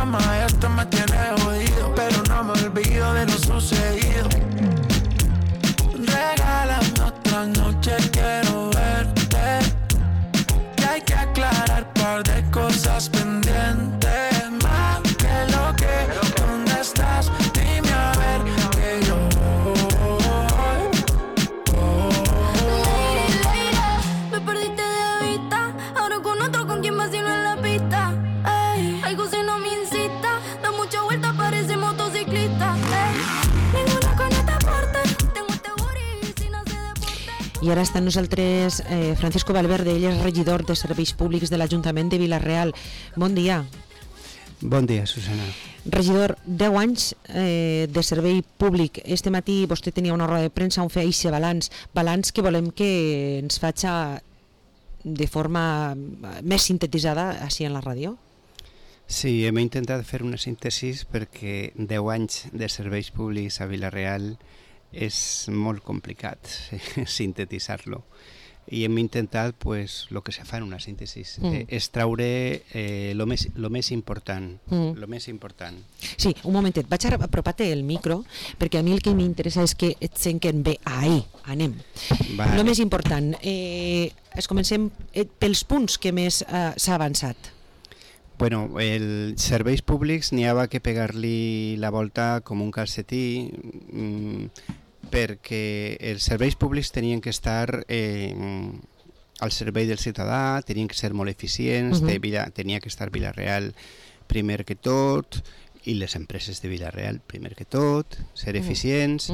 cama y esto me tiene jodido, pero no me olvido de lo sucedido. Regálame otra noche, quiero verte. Y hay que aclarar par de cosas pendientes, más que lo que. ¿Dónde estás? Dime a ver que yo me perdiste de vista, ahora con otro con quien vacilo en la pista. Ey, algo si no me incita, da mucha vuelta, parece motociclista. Ey, ninguna con esta parte, tengo este booty si no sé deporte. I ara està amb nosaltres Francisco Valverde, ell és regidor de Serveis Públics de l'Ajuntament de Vila-real. Bon dia. Bon dia, Susana. Regidor, 10 anys de servei públic. Este matí vostè tenia una roda de premsa on feia aquest balanç que volem que ens faci de forma més sintetitzada així en la ràdio. Sí, hem intentat fer una síntesi perquè 10 anys de serveis públics a Vila-real és molt complicat sintetitzar-lo. I hem intentat, pues, lo que se fa en una síntesi, extraure lo més important. Lo més important. Sí, un momentet, vaig apropar-te el micro, perquè a mi el que m'interessa és que et senten bé. Ahí, anem. Vale. Lo més important, comencem pels punts que més s'ha avançat. Bueno, els serveis públics n'hi havia que pegar-li la volta com un calcetí, perquè els serveis públics tenien que estar al servei del ciutadà, tenien que ser molt eficients, tenia que estar Vila-real primer que tot, i les empreses de Vila-real primer que tot, ser eficients,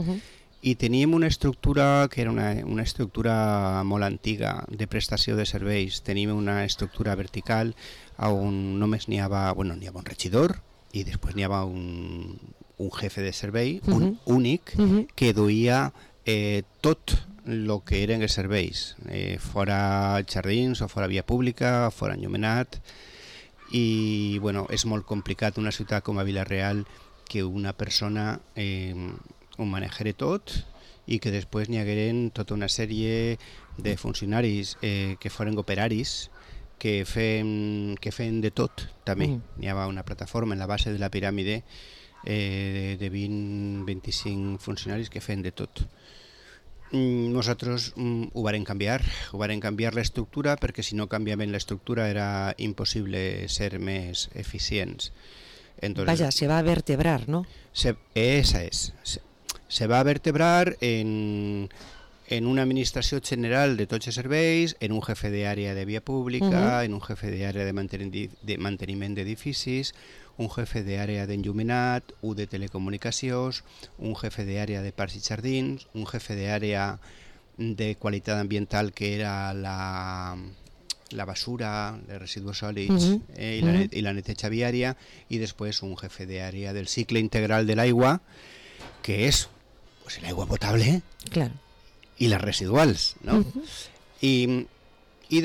i teníem una estructura que era una estructura molt antiga de prestació de serveis. Teníem una estructura vertical on només n'hi havia un regidor i després n'hi havia un jefe de servei, un únic, que duia tot el que eren els serveis, fora jardins o fora via pública, fora enllumenat, i bueno, és molt complicat una ciutat com a Vila-real que una persona ho manegere tot i que després n'hi hagueren tota una sèrie de funcionaris que foren operaris que feien de tot també. N'hi havia una plataforma en la base de la piràmide de 20-25 funcionaris que feien de tot. Nosaltres ho varen canviar l'estructura, perquè si no canviaven l'estructura era impossible ser més eficients. Entonces, vaja, se va vertebrar, ¿no? Esa es. Se va vertebrar en una administració general de tots els serveis, en un jefe d'àrea de via pública, en un jefe d'àrea de manteniment d'edificis, un jefe d'àrea d'enllumenat, un de telecomunicacions, un jefe d'àrea de parcs i jardins, un jefe d'àrea de qualitat ambiental que era la basura, els residus sòlids i la neteja viària, i després un jefe d'àrea del cicle integral de l'aigua, que és pues, l'aigua potable i les residuals, no? I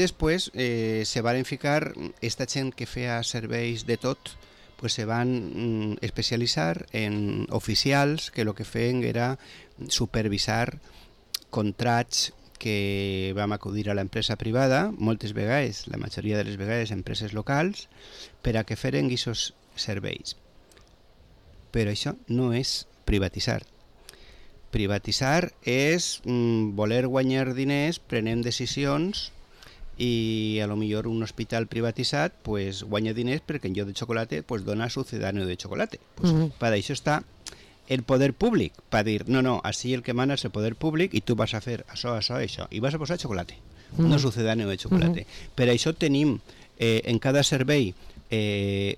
després se van ficar aquesta gent que feia serveis de tot, pues se van especialitzar en oficials que el que feien era supervisar contrats que vam acudir a l'empresa privada, moltes vegades, la majoria de les vegades empreses locals, per a que feren aquests serveis. Però això no és privatitzar. Privatitzar és voler guanyar diners prenent decisions, i a lo millor un hospital privatitzat pues, guanya diners perquè en lloc de xocolate pues, dona sucedáneo de xocolate. Pues, per això està el poder públic, per dir, no, així el que mana és el poder públic i tu vas a fer això, i vas a posar xocolate, no sucedáneo de xocolate. Per això tenim en cada servei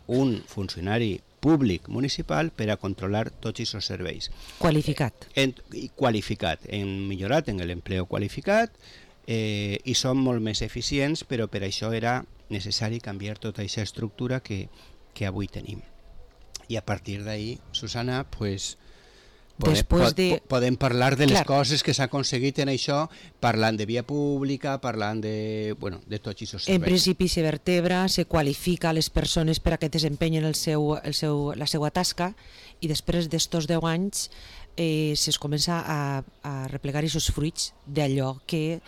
un funcionari públic municipal per a controlar tots aquests serveis. Qualificat. Qualificat, hem millorat en l'empleo qualificat, i són molt més eficients, però per això era necessari canviar tota aquesta estructura que avui tenim. I a partir d'ahí, Susana, pues, podem parlar de les coses que s'ha aconseguit en això, parlant de via pública, parlant de tots aquests serveis. En principi se vertebra, se qualifica les persones per a que desempenyen la seva tasca, i després d'estos 10 anys se'ls comença a replegar aquests fruits d'allò que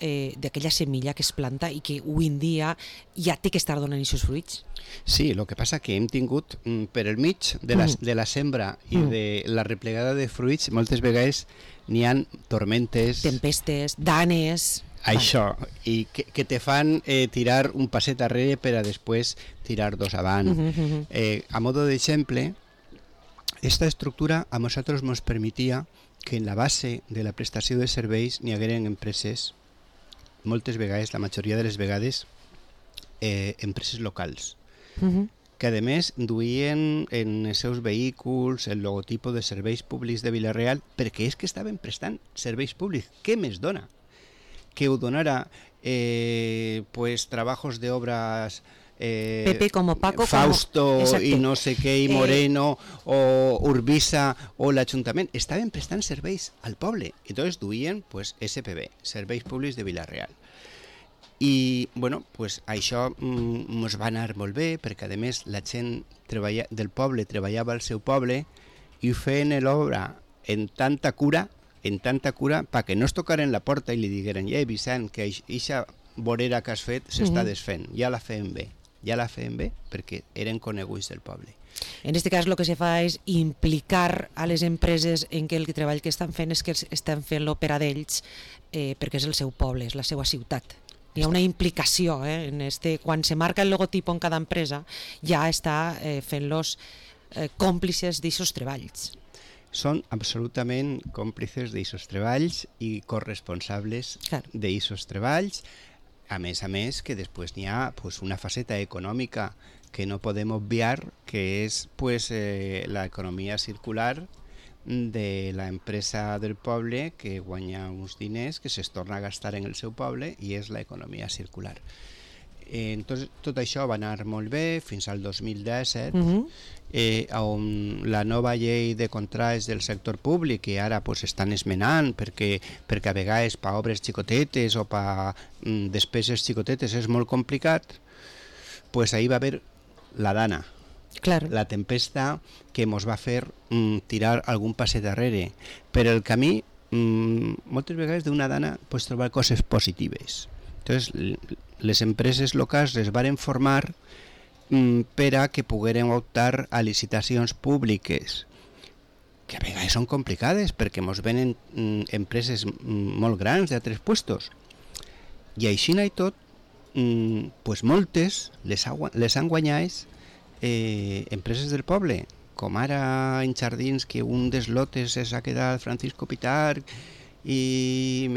d'aquella semilla que es planta i que avui en dia ja té que estar donant aquests fruits. Sí, el que passa que hem tingut per el mig de la sembra i de la replegada de fruits, moltes vegades n'hi ha tormentes, tempestes, danes... Això, i que te fan tirar un passet darrere per a després tirar dos avant. A modo d'exemple, esta estructura a nosaltres ens permetia que en la base de la prestació de serveis n'hi hagueren empreses, moltes vegades, la majoria de les vegades, empreses locals, que a més duien en els seus vehicles el logotipo de serveis públics de Vila-real, perquè és que estaven prestant serveis públics. Què més dona? Que ho donara pues trabajos de obras Pepe como Paco, Fausto como... i no sé què, i Moreno o Urbisa o l'Ajuntament estaven prestant serveis al poble, entonces duien pues SPB, Serveis Públics de Vila-real. I bueno, pues això ens va anar molt bé, perquè a més la gent del poble treballava al seu poble i feien l'obra en tanta cura perquè no es tocaren la porta i li digueren Vicent, que eixa vorera que has fet s'està desfent, ja la feien bé perquè eren coneguts del poble. En aquest cas el que se fa és implicar a les empreses en que el treball que estan fent és que estan fent-lo per a d'ells perquè és el seu poble, és la seva ciutat. Hi ha una implicació, quan se marca el logotipo en cada empresa ja està fent-los còmplices d'aquests treballs. Són absolutament còmplices d'aquests treballs i corresponsables d'aquests treballs. A més, que després n'hi ha pues, una faceta econòmica que no podem obviar, que és pues, l'economia circular de l'empresa del poble que guanya uns diners que se'ls torna a gastar en el seu poble i és l'economia circular. Entonces, tot això va anar molt bé fins al 2017, on la nova llei de contrats del sector públic, que ara pues, estan esmenant perquè a vegades per obres xicotetes o per despeses xicotetes és molt complicat, pues ahí va haver la dana, la tempesta que ens va fer tirar algun passet darrere. Per el camí, moltes vegades d'una dana pots trobar coses positives. Entonces, les empreses locals es varen formar per a que pogueren optar a licitacions públiques, que a vegades són complicades perquè ens venen empreses molt grans d'altres puestos. I així i tot, pues moltes les han guanyat empreses del poble, com ara en Jardins, que un dels lotes s'ha quedat Francisco Pitarch, i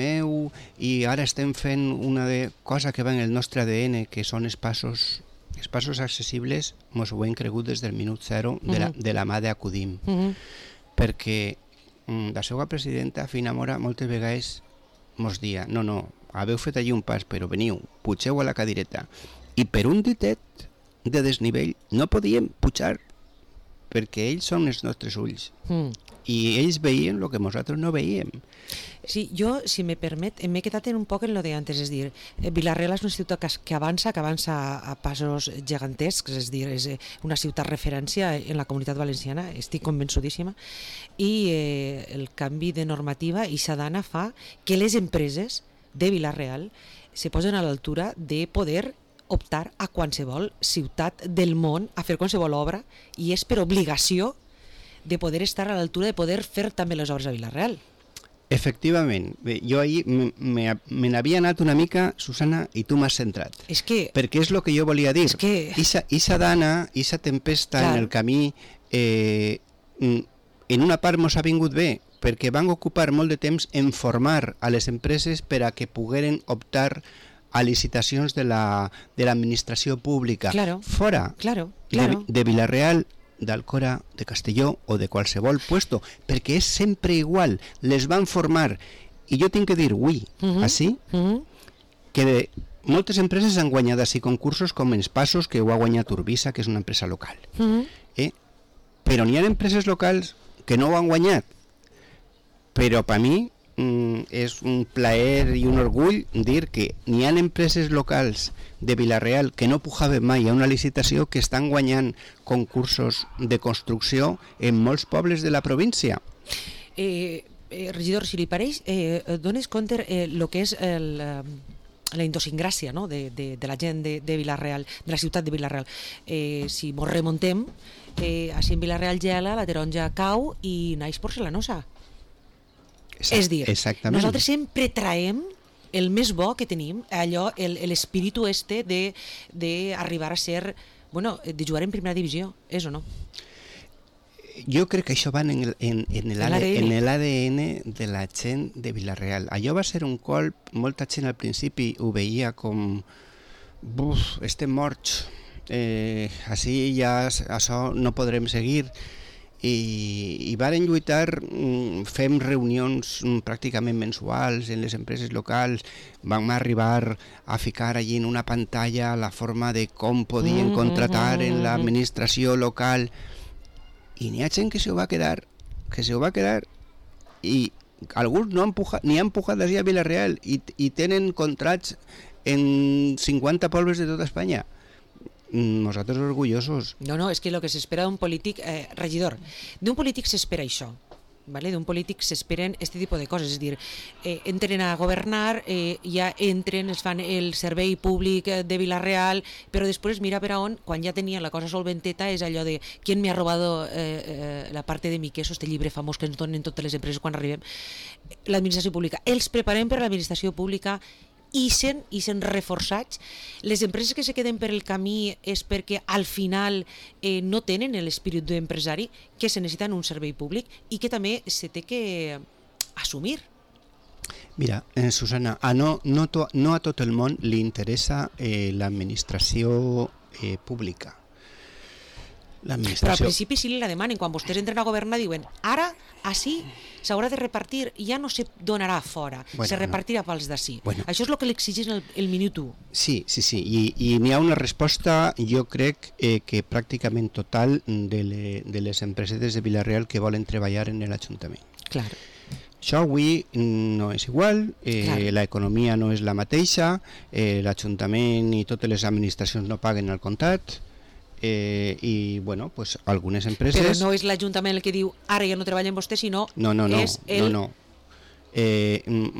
ara estem fent una cosa que va en el nostre ADN, que són els passos accessibles, ens ho hem cregut des del minut zero de la mà d'Acudim, perquè la seva presidenta, Fina Mora, moltes vegades ens dia, no, haveu fet allí un pas, però veniu, pugeu a la cadireta, i per un ditet de desnivell no podíem pujar, perquè ells són els nostres ulls, i ells veien el que nosaltres no veiem. Sí, jo, si me permet, m'he quedat un poc en lo de antes, és dir, Vila-real és una ciutat que avança a passos gegantescs, és dir, és una ciutat referència en la comunitat valenciana, estic convençudíssima, i el canvi de normativa i Sadana fa que les empreses de Vila-real se posen a l'altura de poder optar a qualsevol ciutat del món a fer qualsevol obra, i és per obligació de poder estar a l'altura de poder fer també les obres a Vila-real. Efectivament, jo ahir me n'havia anat una mica, Susana, i tu m'has centrat. Perquè és el que jo volia dir. Ixa dana, ixa tempesta en el camí, en una part mos ha vingut bé, perquè van ocupar molt de temps en formar a les empreses per a que pogueren optar a licitacions de l'administració pública fora de Vila-real, d'Alcora, de Castelló o de qualsevol puesto, perquè és sempre igual, les van formar. I jo tinc que dir avui, així, que moltes empreses han guanyat així concursos com els Passos, que ho ha guanyat Urbisa, que és una empresa local. Però n'hi ha empreses locals que no ho han guanyat. Però per mi és un plaer i un orgull dir que n'hi ha empreses locals de Vila-real que no pujaven mai a una licitació que estan guanyant concursos de construcció en molts pobles de la província. Regidor, si li pareix, dones compte el que és la idiosincràsia, no? de la gent de Vila-real, de la ciutat de Vila-real. Si mos remontem, així en Vila-real gela, la taronja cau i naix porcelanosa. És dir, exactament. Nosaltres sempre traiem el més bo que tenim, allò, l'espíritu d'arribar a ser, bueno, de jugar en primera divisió, és o no? Jo crec que això va en l'ADN de la gent de Vila-real. Allò va ser un colp, molta gent al principi ho veia com estem morts, així ja això no podrem seguir, i varen lluitar, fem reunions pràcticament mensuals en les empreses locals, vam arribar a ficar allí en una pantalla la forma de com podien contratar en l'administració local, i n'hi ha gent que se ho va quedar, i alguns n'hi han empujat d'ací a Vila-real i tenen contrats en 50 pobles de tota Espanya. Nosaltres orgullosos. No, és que el que s'espera d'un polític, regidor, d'un polític s'espera això, ¿vale? D'un polític s'esperen aquest tipus de coses, és dir, entren a governar, ja entren, es fan el servei públic de Vila-real, però després mira per a on, quan ja tenien la cosa solventeta, és allò de ¿quién me ha robado la parte de mi queso?, este llibre famós que ens donen totes les empreses quan arribem, l'administració pública. Els preparem per a l'administració pública, i sent reforçats. Les empreses que se queden per el camí és perquè al final no tenen l'espírit d'empresari, que se necessiten un servei públic i que també se té que assumir. Mira, Susana, no a tot el món li interessa l'administració pública. Però al principi sí li la demanen, quan vostès entren a governar diuen ara, així, s'haurà de repartir, ja no se donarà fora, se repartirà pels d'ací. Això és el que l'exigeix el minut 1. Sí, i n'hi ha una resposta, jo crec que pràcticament total de les empreses de Vila-real que volen treballar en l'Ajuntament. Clar. Això avui no és igual, l'economia no és la mateixa, l'Ajuntament i totes les administracions no paguen al comptat, i bueno, pues algunes empreses... Però no és l'Ajuntament el que diu ara ja no treballem vostè, sinó és el... No.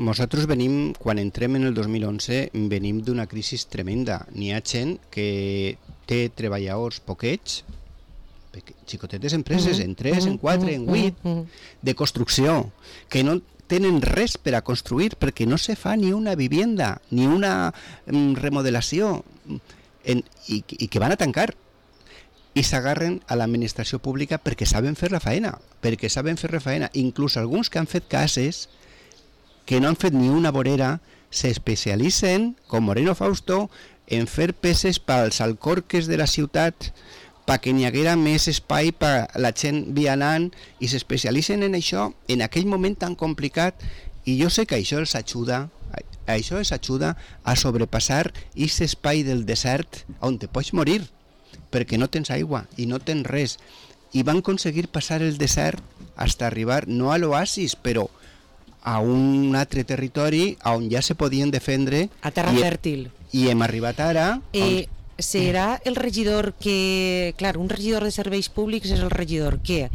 Nosaltres venim, quan entrem en el 2011, venim d'una crisi tremenda. N'hi ha gent que té treballadors poquets, xicotetes empreses, en 3, en 4, en 8, de construcció, que no tenen res per a construir perquè no se fa ni una vivienda, ni una remodelació, i que van a tancar. I s'agarren a l'administració pública perquè saben fer la faena, inclús alguns que han fet cases que no han fet ni una vorera s'especialitzen, com Moreno Fausto, en fer peces pels alcorques de la ciutat perquè n'hi haguera més espai per la gent vianant, i s'especialitzen en això en aquell moment tan complicat, i jo sé que això els ajuda a sobrepassar aquest espai del desert on te pots morir perquè no tens aigua i no tens res, i van aconseguir passar el desert fins a arribar no a l'oasis, però a un altre territori on ja se podien defendre, a terra fèrtil, i hem arribat ara serà el regidor que, clar, un regidor de serveis públics és el regidor que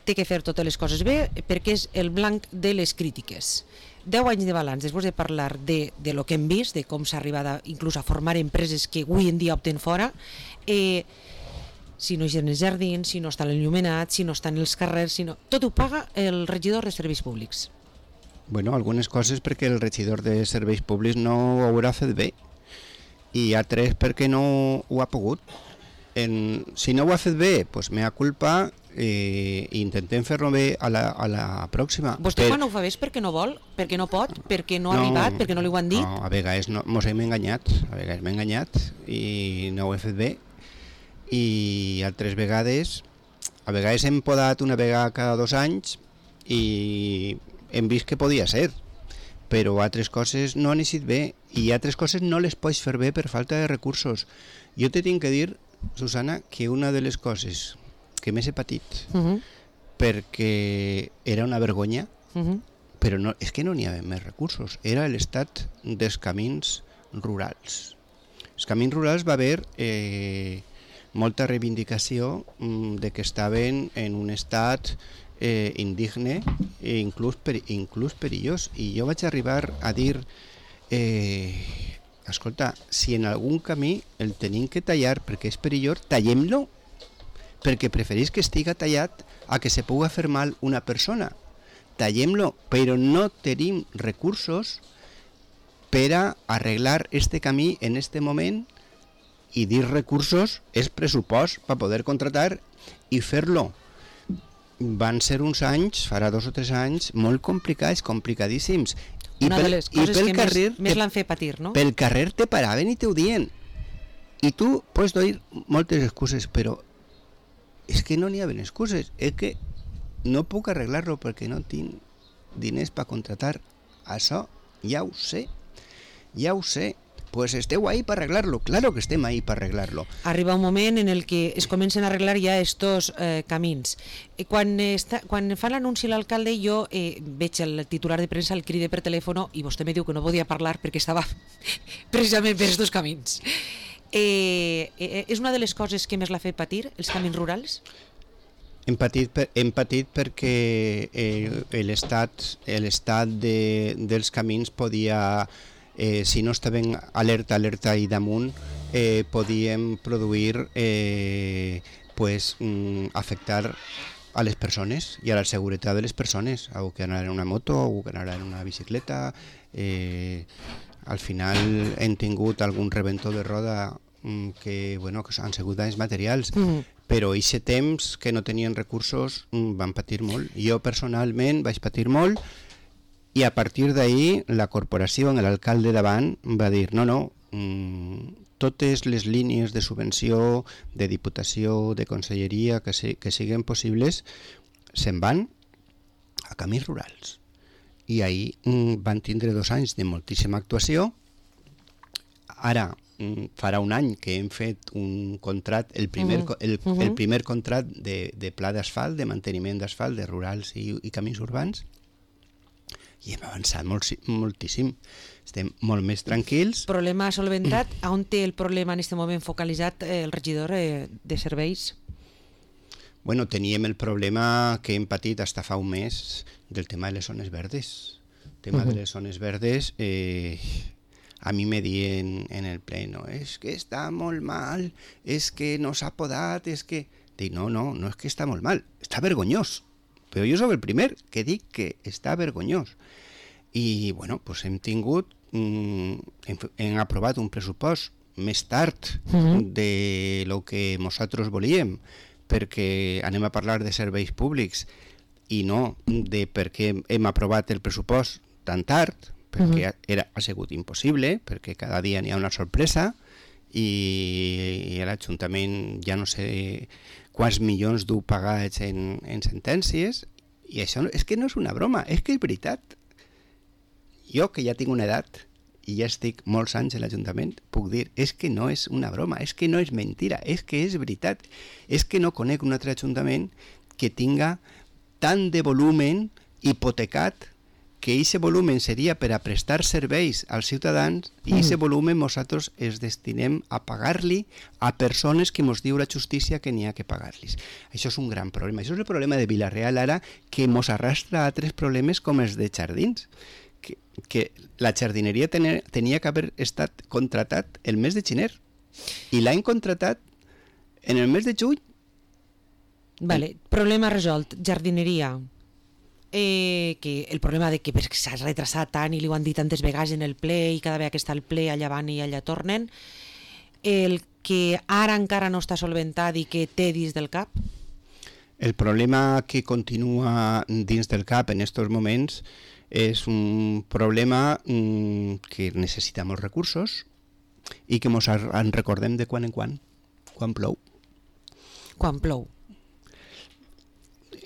té que fer totes les coses bé perquè és el blanc de les crítiques. 10 anys de balanç, després de parlar de lo que hem vist, de com s'ha arribat inclús a formar empreses que avui en dia opten fora, si no hi ha els jardins, si no està l'enllumenat, si no estan els carrers, tot ho paga el regidor de serveis públics. Bueno, algunes coses perquè el regidor de serveis públics no ho haurà fet bé, i altres perquè no ho ha pogut. Si no ho ha fet bé, doncs mea culpa, intentem fer-lo bé a la pròxima. Vostè quan ho fa bé és perquè no vol, perquè no pot, perquè no ha arribat, perquè no li ho han dit? No, a vegades mos hem enganyat, i no ho he fet bé, i altres vegades hem podat una vegada cada 2 anys i hem vist que podia ser, però altres coses no han eixit bé, i altres coses no les pots fer bé per falta de recursos. Jo te tinc que dir, Susana, que una de les coses que més he patit, perquè era una vergonya, però no, és que no n'hi havia més recursos, era l'estat dels camins rurals. Els camins rurals va haver molta reivindicació de que estaven en un estat indigne i inclús perillós. I jo vaig arribar a dir escolta, si en algun camí el tenim que tallar perquè és perillós, tallem-lo, perquè preferís que estiga tallat a que se puga fer mal una persona. Tallem-lo, però no tenim recursos per a arreglar este camí en este moment, i dir recursos és pressupost per poder contratar i fer-lo. Van ser uns anys, farà 2 o 3 anys, molt complicats, complicadíssims. Una de les coses que més l'han fet patir, no? Pel carrer te paraven i te ho dient. I tu pots dir moltes excuses, però és que no n'hi ha excuses. És que no puc arreglar-lo perquè no tinc diners per contratar. Això ja ho sé. Pues esteu ahí per arreglar-lo. Claro que estem ahí per arreglar-lo. Arriba un moment en el que es comencen a arreglar ja estos camins. Quan fan l'anunci l'alcalde, jo veig el titular de premsa, el cride per telèfon, i vostè me diu que no podia parlar perquè estava precisament per estos camins. És una de les coses que més l'ha fet patir, els camins rurals? Hem patit perquè l'estat dels camins podia, si no estaven alerta i damunt, podíem produir, afectar a les persones i a la seguretat de les persones, algú que anara en una moto, algú que anara en una bicicleta. Al final hem tingut algun rebentor de roda que han sigut danys materials, però aquest temps que no tenien recursos van patir molt. Jo personalment vaig patir molt, i a partir d'ahir la corporació, l'alcalde davant, va dir no, totes les línies de subvenció, de diputació, de conselleria que siguin possibles, se'n van a camins rurals. I ahir van tindre 2 anys de moltíssima actuació. Ara farà un any que hem fet un contrat, el primer contrat de pla d'asfalt, de manteniment d'asfalt de rurals i camins urbans, i hem avançat moltíssim. Estem molt més tranquils. Problema solventat. On té el problema en aquest moment focalitzat el regidor de serveis? Bueno, teníem el problema que hem patit fins fa un mes del tema de les zones verdes. El tema de les zones verdes, a mi me diuen en el pleno, és que està molt mal, és que no s'ha podat, és que... Dic, no és que està molt mal, està vergonyós. Però jo soc el primer que dic que està vergonyós. I, bueno, doncs hem aprovat un pressupost més tard de lo que nosaltres volíem, perquè anem a parlar de serveis públics i no de per què hem aprovat el pressupost tan tard, perquè ha sigut impossible, perquè cada dia n'hi ha una sorpresa i l'Ajuntament ja no sé quants milions du pagats en sentències, i això és que no és una broma, és que és veritat. Jo, que ja tinc una edat i ja estic molts anys a l'Ajuntament, puc dir, és que no és una broma, és que no és mentira, és que és veritat. És que no conec un altre Ajuntament que tinga tant de volumen hipotecat, que aquest volumen seria per a prestar serveis als ciutadans, i aquest volumen nosaltres es destinem a pagar-li a persones que ens diu la justícia que n'hi ha que pagar-los. Això és un gran problema. Això és el problema de Vila-real ara, que ens arrastra a altres problemes com els de jardins, que la jardineria tenia que haver estat contratat el mes de gener i l'han contratat en el mes de juny. Vale, problema resolt, jardineria. Que el problema de que s'ha retrasat tant i li ho han dit tantes vegades en el ple i cada vegada que està el ple allà van i allà tornen, el que ara encara no està solventat i que té dins del cap? El problema que continua dins del cap en aquests moments és un problema que necessita molts recursos i que ens en recordem de quan en quan plou. Quan plou.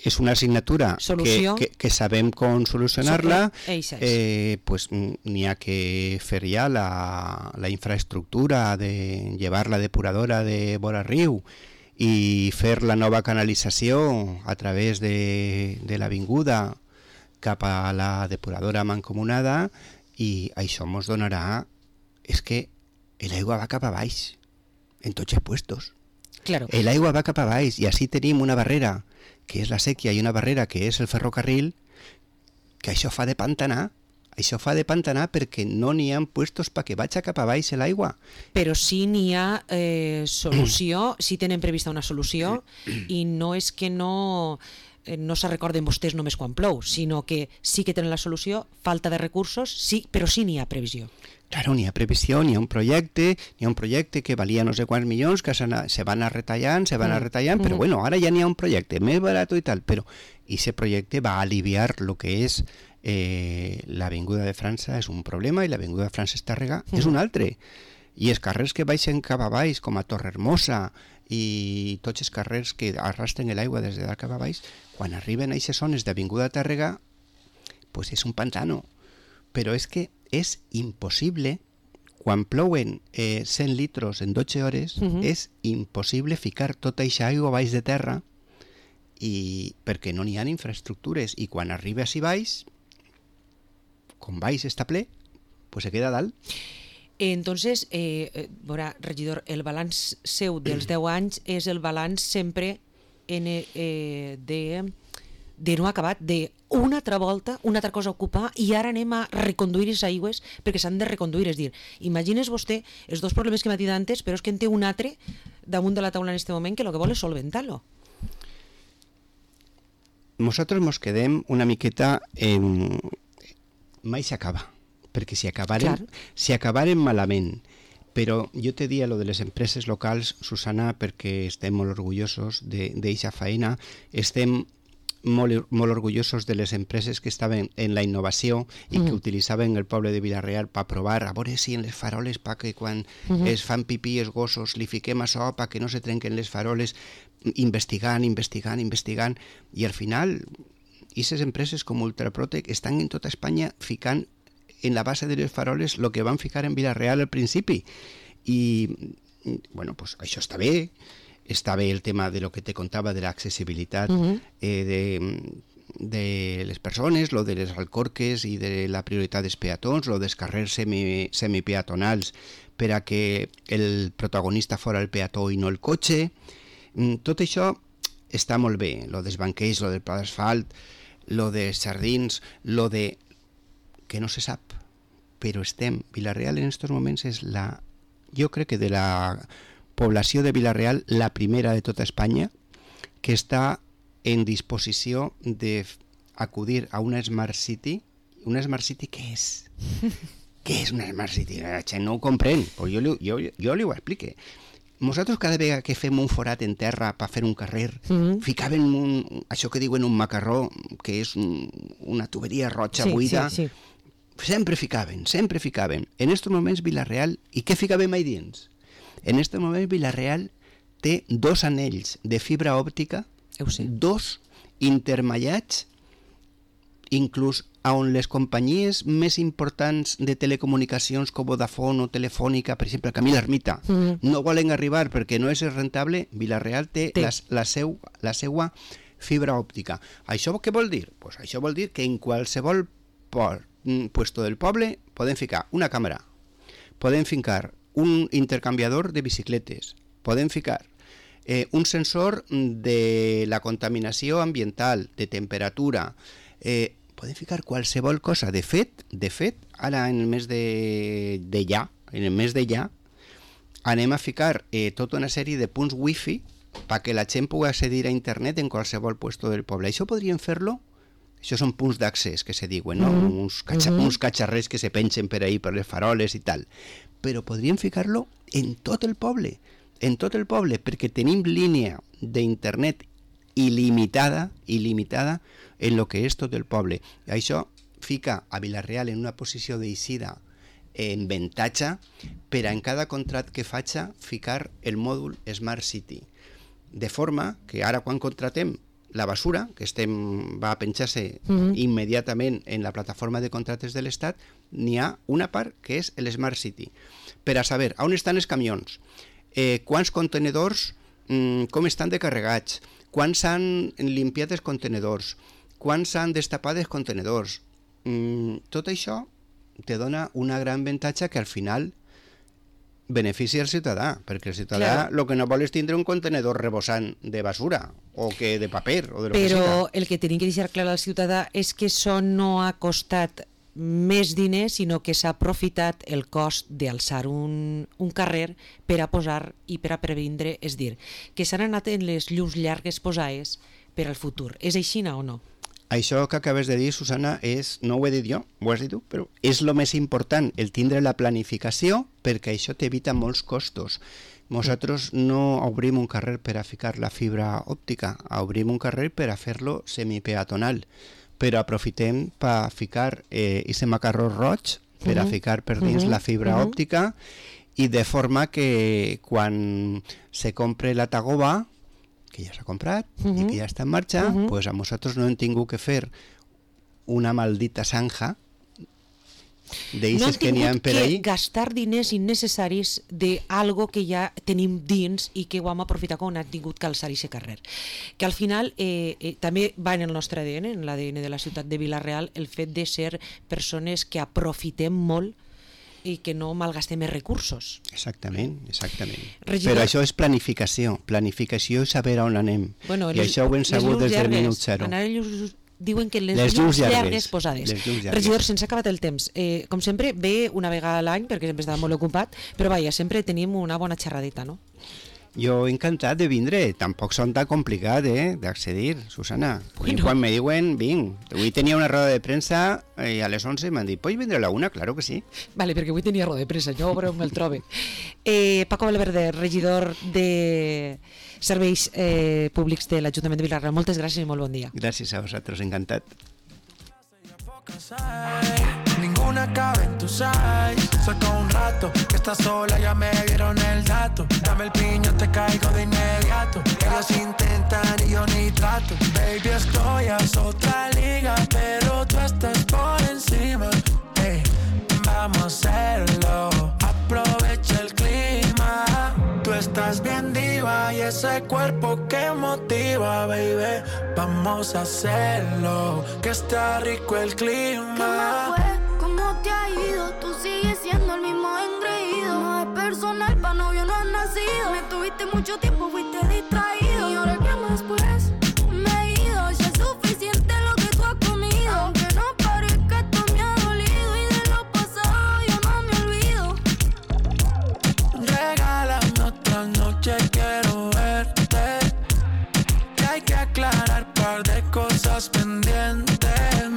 És una assignatura que sabem com solucionar-la, pues n'hi ha que fer ja la infraestructura de llevar la depuradora de vora riu i fer la nova canalització a través de l'avinguda cap a la depuradora mancomunada, i això ens donarà... És que l'aigua va cap a baix, en tots els puestos. Claro. L'aigua va cap a baix i així tenim una barrera que és la sèquia, i una barrera, que és el ferrocarril, que això fa de pantanar. Això fa de pantanar perquè no n'hi ha puestos perquè vagi cap a baix l'aigua. Però sí n'hi ha solució, sí tenen prevista una solució, i no és que no se recorden vostès només quan plou, sinó que sí que tenen la solució, falta de recursos, sí, però sí n'hi ha previsió. Claro, n'hi ha previsió, n'hi ha un projecte que valia no sé quants milions, que se van a retallant, però bueno, ara ja n'hi ha un projecte més barat i tal, però aquest projecte va aliviar el que és l'Avinguda de França és un problema i l'Avinguda de Francesc Tàrrega és un altre. I els carrers que baixen cap a baix, com a Torrehermosa i tots els carrers que arrastren l'aigua des de dalt cap a baix, quan arriben a aquestes zones d'Avinguda de Tàrrega, pues és un pantano. Però és que és impossible, quan plouen 100 litros en 12 hores, és impossible ficar tota aquesta aigua baix de terra, i perquè no n'hi ha infraestructures, i quan arriba així baix, com baix està ple, pues se queda dalt. Entonces, veurà, regidor, el balanç seu dels 10 anys és el balanç sempre de no acabat, d'una altra volta, una altra cosa a ocupar, i ara anem a reconduir les aigües perquè s'han de reconduir. És dir, imagines vostè els dos problemes que m'ha dit antes, però és que en té un altre damunt de la taula en aquest moment que el que vol és solventar-lo. Nosaltres mos quedem una miqueta en... mai s'acaba, perquè si acabaren malament, però jo te dia lo de les empreses locals, Susana, perquè estem molt orgullosos d'eixa feina, estem molt orgullosos de les empreses que estaven en la innovació i que utilitzaven el poble de Vila-real per provar, a veure si en les faroles, que quan es fan pipí els gossos li fiquem això perquè no se trenquen les faroles, investigant, i al final aquestes empreses com Ultraprotec estan en tota Espanya ficant en la base de les faroles el que van ficar en Vila-real al principi. I, bueno, pues això està bé el tema de lo que te contava de l'accessibilitat de les persones, lo de les alcorques i de la prioritat dels peatons, lo dels carrers semipeatonals per a que el protagonista fora el peató i no el cotxe. Tot això està molt bé, lo dels banquets, lo del pla d'asfalt, lo dels jardins, lo de... que no se sap, però Vila-real en aquests moments és jo crec que de la població de Vila-real la primera de tota Espanya que està en disposició d'acudir a una Smart City. Una Smart City què és? Què és una Smart City? La gent no ho comprèn, però jo li ho explique. Nosaltres cada vegada que fem un forat en terra per fer un carrer, ficaven això que diuen un macarró, que és una tuberia roja buida, sempre ficaven. En aquests moments Vila-real, i què ficàvem ahí dins? En aquests moments Vila-real té 2 anells de fibra òptica, 2 intermallats, inclús on les companyies més importants de telecomunicacions com Vodafone o Telefònica, per exemple, Camí l'Ermita, no volen arribar perquè no és rentable. Vila-real té la seva fibra òptica. Això què vol dir? Pues això vol dir que en qualsevol puesto del poble podem ficar una càmera, podem ficar un intercanviador de bicicletes, podem ficar un sensor de la contaminació ambiental, de temperatura, podem ficar qualsevol cosa. De fet, ara en el mes de ja, anem a ficar tota una sèrie de punts wifi perquè la gent pugui accedir a internet en qualsevol puesto del poble. Això podríem fer-lo, això són punts d'accés que se diuen, no? Uns catxarrers que se pengen per ahí, per les faroles i tal. Però podríem ficar-lo en tot el poble, perquè tenim línia d'internet il·limitada en lo que és tot el poble. Això fica a Vila-real en una posició d'eixida en avantatge per a en cada contracte que faci ficar el mòdul Smart City. De forma que ara quan contratem la basura, que va a penjar-se immediatament en la plataforma de contractes de l'Estat, n'hi ha una part que és el Smart City. Per a saber on estan els camions, quants contenedors, com estan de carregats, quan s'han limpiat els contenedors, quan s'han destapat els contenedors. Tot això te dona una gran avantatge que al final beneficia el ciutadà, perquè el ciutadà el que no vol és tindre un contenedor rebossant de basura o que de paper o de lo que sigui. Però el que tenim que deixar clar al ciutadà és que això no ha costat més diners, sinó que s'ha aprofitat el cost d'alçar un carrer per a posar i per a previndre, és dir, que s'han anat en les llums llargues posades per al futur. És així o no? Això que acabes de dir, Susana, no ho he dit jo, ho has dit tu, però és el més important, el tindre la planificació, perquè això t'evita molts costos. Nosaltres no obrim un carrer per a ficar la fibra òptica, obrim un carrer per a fer-lo semipeatonal, però aprofitem per ficar aquest macarró roig, per a ficar per dins la fibra òptica, i de forma que quan se compre la tagoba, que ja s'ha comprat i que ja està en marxa, pues a nosaltres no hem tingut que fer una maldita zanja d'eixes que n'hi ha per ahí. No hem tingut que gastar diners innecessaris d'algo que ja tenim dins i que ho hem aprofitat quan hem tingut que alçar aquest carrer. Que al final també va en el nostre ADN, en l'ADN de la ciutat de Vila-real, el fet de ser persones que aprofitem molt i que no malgastem més recursos. Exactament. Regidor... Però això és planificació i saber on anem. Bueno, i això ho hem sabut des del minut zero. Diuen que les llums llargues posades. Regidor, se'ns ha acabat el temps. Com sempre, ve una vegada a l'any, perquè sempre està molt ocupat, però vaja, sempre tenim una bona xerradeta, no? Jo encantat de vindre, tampoc són tan complicat d'accedir, Susana. Bueno. Quan me diuen, vinc. Avui tenia una roda de premsa i a les 11 m'han dit, ¿puedes vindre a la 1? Claro que sí. Vale, perquè avui tenia roda de premsa, jo veureu on el trobe. Paco Valverde, regidor de Serveis Públics de l'Ajuntament de Vila-real, moltes gràcies i molt bon dia. Gràcies a vosaltres, encantat. Ninguna cabe en tus eyes. Saca un rato que estás sola, ya me dieron el dato. Dame el piño, te caigo de inmediato. Ellos intentan y yo ni trato. Baby, estoy a otra liga, pero tú estás por encima. Hey, vamos a hacerlo. Aprovecha el clima. Tú estás bien diva y ese cuerpo que motiva, baby. Vamos a hacerlo, que está rico el clima. ¿Qué me fue? ¿Cómo te ha ido? Tú sigues siendo el mismo engreído. No es personal, pa' novio no has nacido. Me tuviste mucho tiempo, fuiste distraído. Y ahora que más pues me he ido. Ya es suficiente lo que tú has comido. Aunque no parezca, esto me ha dolido. Y de lo pasado yo no me olvido. Regálame otra noche, quiero verte. Que hay que aclarar par de cosas pendientes.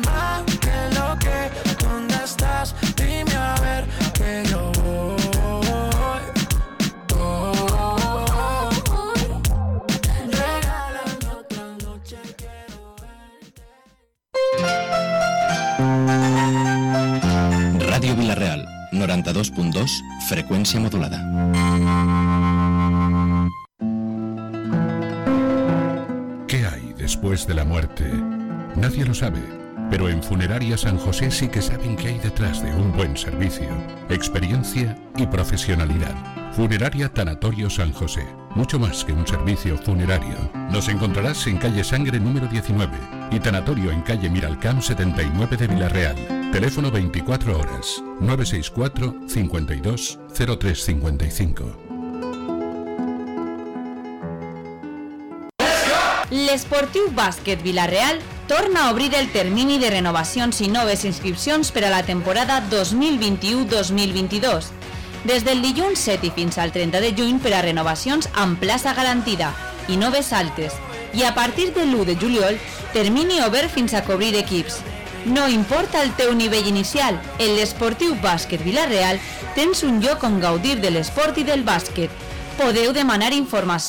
Más que lo que, ¿dónde estás? Dime a ver que yo voy. Regálame otra noche, quiero verte. Radio Vila-real, 92.2, frecuencia modulada. ¿Qué hay después de la muerte? Nadie lo sabe, pero en Funeraria San José sí que saben qué hay detrás de un buen servicio, experiencia y profesionalidad. Funeraria Tanatorio San José, mucho más que un servicio funerario. Nos encontrarás en calle Sangre número 19 y Tanatorio en calle Miralcamp 79 de Vila-real. Teléfono 24 horas, 964 52 0355. L'Esportiu Bàsquet Vila-real torna a obrir el termini de renovacions i noves inscripcions per a la temporada 2021-2022. Des del dilluns 7 i fins al 30 de juny per a renovacions amb plaça garantida i noves altes. I a partir de l'1 de juliol, termini obert fins a cobrir equips. No importa el teu nivell inicial, en l'Esportiu Bàsquet Vila-real tens un lloc on gaudir de l'esport i del bàsquet. Podeu demanar informació